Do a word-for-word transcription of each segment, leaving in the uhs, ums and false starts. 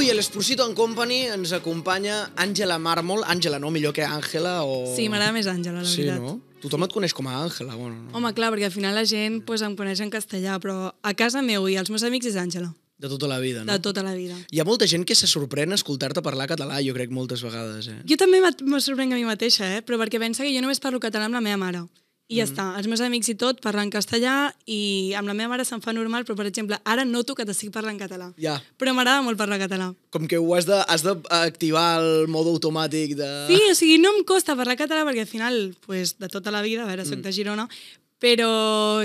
Avui a l'Esposito and Company ens acompanya Àngela Mármol. Àngela, no? Millor que Àngela o... Sí, m'agrada més Àngela, la sí, veritat. No? Tothom et coneix com a Àngela. Bueno, no? Home, clar, perquè al final la gent pues, em coneix en castellà, però a casa meu i als meus amics és Àngela. De tota la vida, no? De tota la vida. Hi ha molta gent que se sorprèn escoltar-te parlar català, jo crec, moltes vegades. Eh? Jo també me sorprenc a mi mateixa, eh? Però perquè pensa que jo només parlo català amb la meva mare. I ja mm. està. Els meus amics i tot parlen castellà i amb la meva mare se'm fa normal, però, per exemple, ara noto que t'estic parlant català. Ja. Però m'agrada molt parlar català. Com que ho has d'activar el mode automàtic de... Sí, o sigui, no em costa parlar català perquè al final, pues, de tota la vida, a veure, soc mm. de Girona, però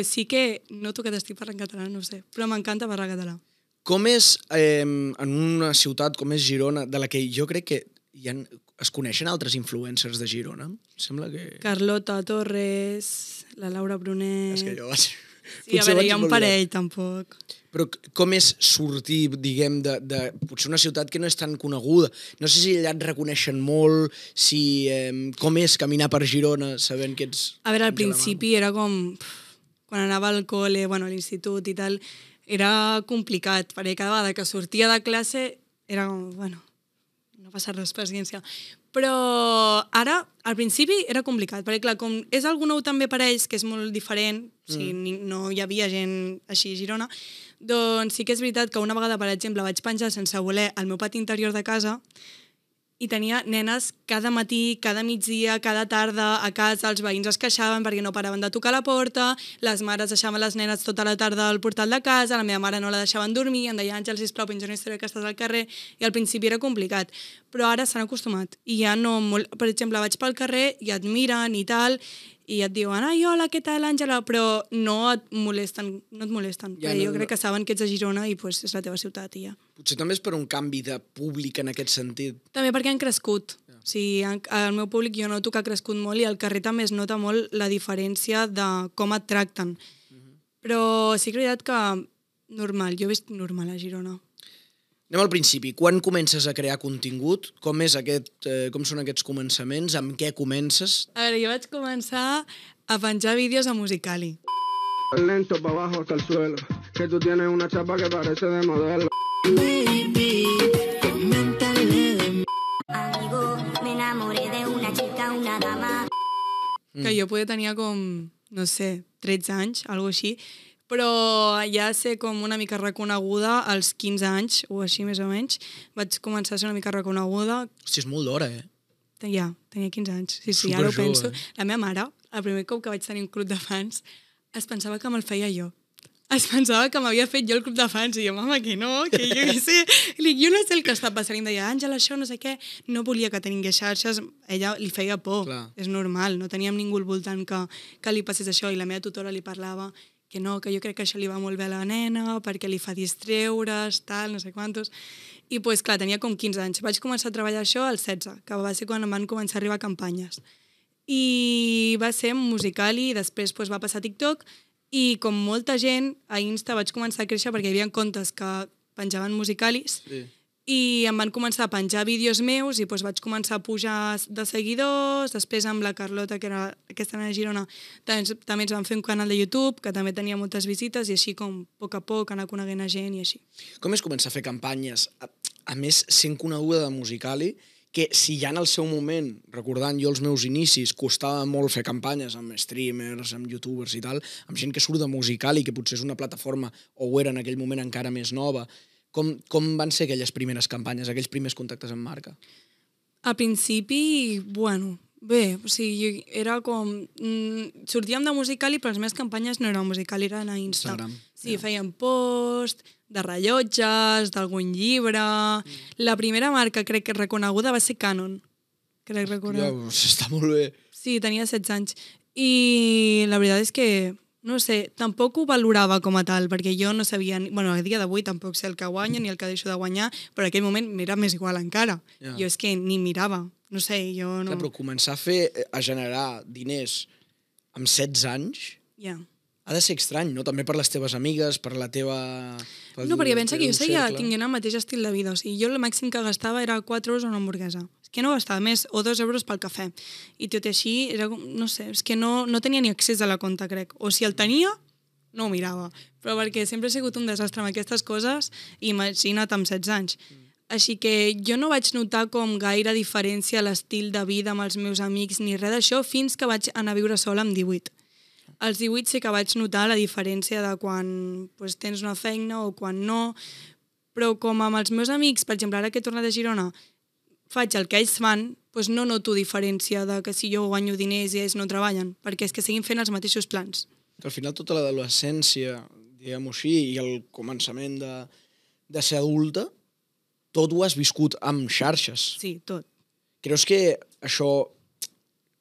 sí que noto que t'estic parlant català, no ho sé. Però m'encanta parlar català. Com és, eh, en una ciutat com és Girona, de la que jo crec que hi ha, es coneixen altres influencers de Girona? Sembla que... Carlota Torres, la Laura Brunet... És que jo vaig... Sí, a veure, hi ha un parell, tampoc. Però com és sortir, diguem, de, de potser una ciutat que no és tan coneguda? No sé si allà et reconeixen molt, si... Eh, com és caminar per Girona sabent que ets... A veure, al principi era com... Quan anava al col·le, bueno, a l'institut i tal, era complicat, perquè cada vegada que sortia de classe era com, bueno, no passa res, paciència. Però ara, al principi, era complicat, perquè clar, com és algú nou també per ells, que és molt diferent, mm. o sigui, no hi havia gent així a Girona, doncs sí que és veritat que una vegada, per exemple, vaig penjar sense voler al meu pati interior de casa i tenia nenes cada matí, cada migdia, cada tarda a casa, els veïns es queixaven perquè no paraven de tocar la porta, les mares deixaven les nenes tota la tarda al portal de casa, la meva mare no la deixaven dormir, em deia, Àngel, sisplau, penja una història que estàs al carrer, i al principi era complicat. Però ara s'han acostumat. I ja no... Per exemple, vaig pel carrer i et miren i tal, i et diuen, ai, hola, què tal, Àngela? Però no et molesten, no et molesten. Ja, no, jo crec no. que saben que ets a Girona i pues, és la teva ciutat i ja. Potser també és per un canvi de públic en aquest sentit. També perquè han crescut. Ja. O sigui, el meu públic jo noto que ha crescut molt i al carrer també es nota molt la diferència de com et tracten. Uh-huh. Però sí que és veritat que normal, jo he vist normal a Girona. Anem al principi. Quan comences a crear contingut? Com, és aquest, eh, com són aquests començaments? Amb què comences? A veure, jo vaig començar a penjar vídeos a Musical.ly. Lento pa abajo hasta el suelo, que tú tienes una chapa que parece de modelo. Baby, coméntale de amigo, me enamoré de una chica, una dama. Mm. Que jo poder tenia com, no sé, tretze anys, alguna així, però ja ser com una mica reconeguda als quinze anys, o així més o menys, vaig començar a ser una mica reconeguda. Hòstia, és molt d'hora, eh? Ja, tenia quinze anys. Sí, sí, Super ara ho jove, penso. Eh? La meva mare, el primer cop que vaig tenir un club de fans, es pensava que me'l feia jo. Es pensava que m'havia fet jo el club de fans i jo, mama, que no, que jo què sé. I jo no sé el que està passant. I em deia, Àngela, això, no sé què. No volia que tingués xarxes. Ella li feia por. Clar. És normal. No teníem ningú al voltant que, que li passés això. I la meva tutora li parlava que no, que jo crec que això li va molt bé a la nena, perquè li fa distreure's, tal, no sé quantos. I, pues, clar, tenia com quinze anys. Vaig començar a treballar això als setze, que va ser quan em van començar a arribar campanyes. I va ser Musical.ly, i després pues, va passar a TikTok, i com molta gent, a Insta vaig començar a créixer perquè hi havia comptes que penjaven Musical.lys, sí. I em van començar a penjar vídeos meus i doncs vaig començar a pujar de seguidors. Després amb la Carlota, que era aquesta nena de Girona, també, també ens van fer un canal de YouTube que també tenia moltes visites i així com a poc a poc anar coneguent a gent i així. Com és començar a fer campanyes? A, a més, sent coneguda de Musical.ly, que si ja en el seu moment, recordant jo els meus inicis, costava molt fer campanyes amb streamers, amb youtubers i tal, amb gent que surt de Musical.ly, que potser és una plataforma, o ho era en aquell moment encara més nova. Com, com van ser aquelles primeres campanyes, aquells primers contactes amb marca? A principi, bueno, bé, o sigui, era com... Mm, sortíem de Musical.ly, però les meves campanyes no eren Musical.ly, eren a Insta. Instagram. Sí, ja. Fèiem post, de rellotges, d'algun llibre... Mm. La primera marca, crec que reconeguda, va ser Canon. Crec recordar. Ja, està molt bé. Sí, tenia setze anys. I la veritat és que... No sé, tampoc ho valorava com a tal, perquè jo no sabia... Bueno, a dia d'avui tampoc sé el que guanya ni el que deixo de guanyar, però en aquell moment m'era més igual encara. Yeah. Jo és que ni mirava, no sé, jo no... Clar, però començar a fer, a generar diners amb setze anys... Ja. Yeah. Ha de ser estrany, no? També per les teves amigues, per la teva... No, perquè pensa que jo seguia tinguent el mateix estil de vida. O sigui, jo el màxim que gastava era quatre euros una hamburguesa. És que no gastava més, o dos euros pel cafè. I tot i així, era, no sé, és que no, no tenia ni accés a la compta, crec. O si el tenia, no ho mirava. Però perquè sempre he sigut un desastre amb aquestes coses, imagina't amb setze anys. Així que jo no vaig notar com gaire diferència a l'estil de vida amb els meus amics ni res d'això fins que vaig anar a viure sola amb divuit. Als divuit sí que vaig notar la diferència de quan pues, tens una feina o quan no, però com amb els meus amics, per exemple, ara que he tornat a Girona, faig el que ells fan, doncs no noto diferència de que si jo guanyo diners i ells no treballen, perquè és que seguim fent els mateixos plans. Al final tota l'adolescència, diguem-ho així, i el començament de, de ser adulta, tot ho has viscut amb xarxes. Sí, tot. Creus que això,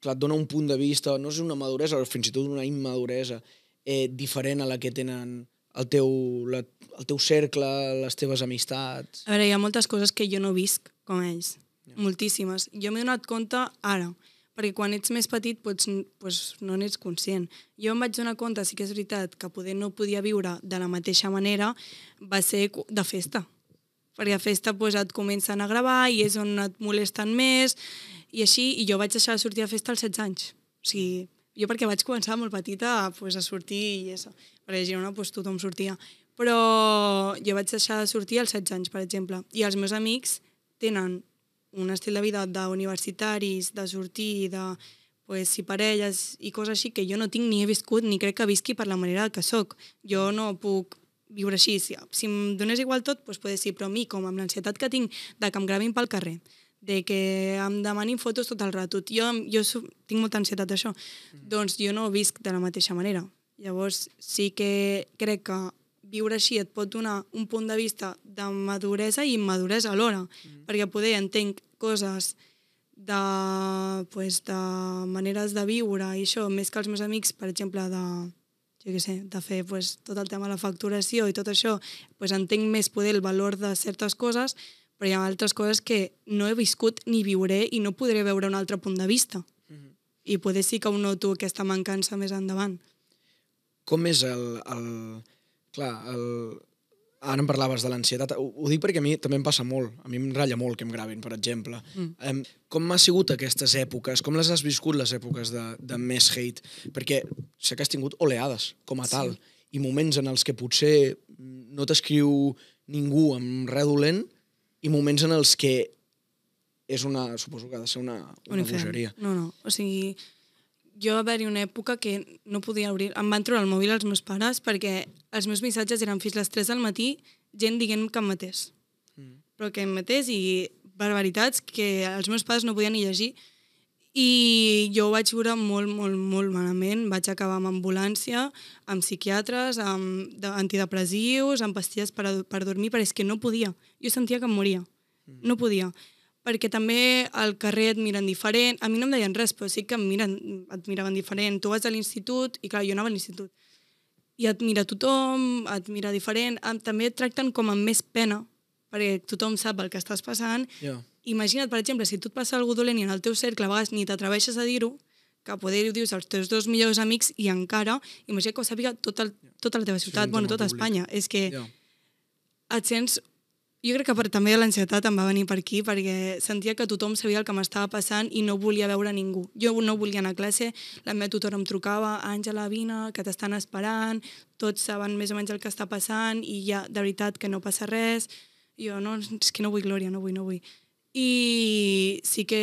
clar, et dona un punt de vista, no és una maduresa, o fins i tot una immaduresa, eh, diferent a la que tenen el teu, la, el teu cercle, les teves amistats? A veure, hi ha moltes coses que jo no visc com ells. Moltíssimes. Jo m'he donat compte ara, perquè quan ets més petit doncs, doncs no n'ets conscient. Jo em vaig donar compte, sí que és veritat, que poder no podia viure de la mateixa manera, va ser de festa. Perquè a festa doncs, et comencen a gravar i és on et molesten més, i així, i jo vaig deixar de sortir a festa als setze anys. O sigui, jo perquè vaig començar molt petita pues, a sortir i això. Perquè a Girona pues, tothom sortia. Però jo vaig deixar de sortir als setze anys, per exemple. I els meus amics tenen un estil de vida d'universitaris, de sortir, de pues, si parelles i coses així que jo no tinc ni he viscut ni crec que visqui per la manera que sóc. Jo no puc viure així. Si, si em donés igual tot, doncs poder sí, però a mi, com amb l'ansietat que tinc de que em gravin pel carrer, de que em demanin fotos tot el rato, jo, jo tinc molta ansietat d'això, mm. doncs jo no visc de la mateixa manera. Llavors sí que crec que viure així et pot donar un punt de vista de maduresa i immaduresa alhora, mm. perquè poder entenc coses de, pues, de maneres de viure i això, més que els meus amics, per exemple, de, jo què sé, de fer pues, tot el tema de la facturació i tot això, pues, entenc més poder el valor de certes coses, però hi ha altres coses que no he viscut ni viuré i no podré veure un altre punt de vista. Mm. I poder sí que ho noto aquesta mancança més endavant. Com és el... el... Clar, el... ara em parlaves de l'ansietat. Ho, ho dic perquè a mi també em passa molt. A mi em ratlla molt que em gravin, per exemple. Mm. Um, com ha sigut aquestes èpoques? Com les has viscut, les èpoques de, de més hate? Perquè sé que has tingut oleades, com a tal, sí. I moments en els que potser no t'escriu ningú amb res dolent i moments en els que és una... Suposo que ha de ser una, una bogeria. No, no. O sigui... Jo va haver-hi una època que no podia obrir... Em van treure el mòbil els meus pares perquè els meus missatges eren fins a les tres del matí, gent dient que em matés. Mm. Però que em matés i barbaritats que els meus pares no podien ni llegir. I jo ho vaig viure molt, molt, molt malament. Vaig acabar amb ambulància, amb psiquiatres, amb antidepressius, amb pastilles per, a, per dormir, però és que no podia. Jo sentia que em moria. Mm. No podia. Perquè també al carrer et miren diferent. A mi no em deien res, però sí que em miren, et miraven diferent. Tu vas a l'institut, i clar, jo anava a l'institut. I et mira tothom, et mira diferent. També et tracten com amb més pena, perquè tothom sap el que estàs passant. Yeah. Imagina't, per exemple, si tu et passa alguna dolent i en el teu cercle a vegades ni t'atreveixes a dir-ho, que poder ho dius als teus dos millors amics i encara, imagina't que ho sàpiga tot el, tota la teva ciutat, sí, bueno, tota Espanya. És que yeah. et sents... Jo crec que per, també l'ansietat em va venir per aquí perquè sentia que tothom sabia el que m'estava passant i no volia veure ningú. Jo no volia anar a classe, la meva tutora em trucava, Àngela, vine, que t'estan esperant, tots saben més o menys el que està passant i ja, de veritat, que no passa res. I jo, no, és que no vull glòria, no vull, no vull. I sí que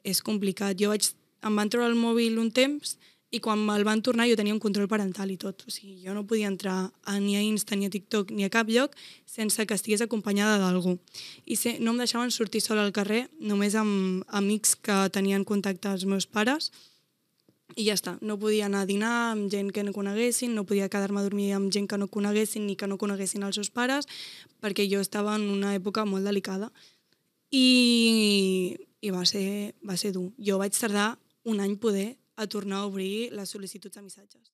és complicat. Jo vaig, em van treure el mòbil un temps i quan me'l van tornar jo tenia un control parental i tot. O sigui, jo no podia entrar a, ni a Insta, ni a TikTok, ni a cap lloc sense que estigués acompanyada d'algú. I se, no em deixaven sortir sola al carrer, només amb amics que tenien contacte als meus pares, i ja està. No podia anar a dinar amb gent que no coneguessin, no podia quedar-me a dormir amb gent que no coneguessin ni que no coneguessin els seus pares, perquè jo estava en una època molt delicada. I, i va, ser, va ser dur. Jo vaig tardar un any poder a tornar a obrir les sol·licituds de missatges.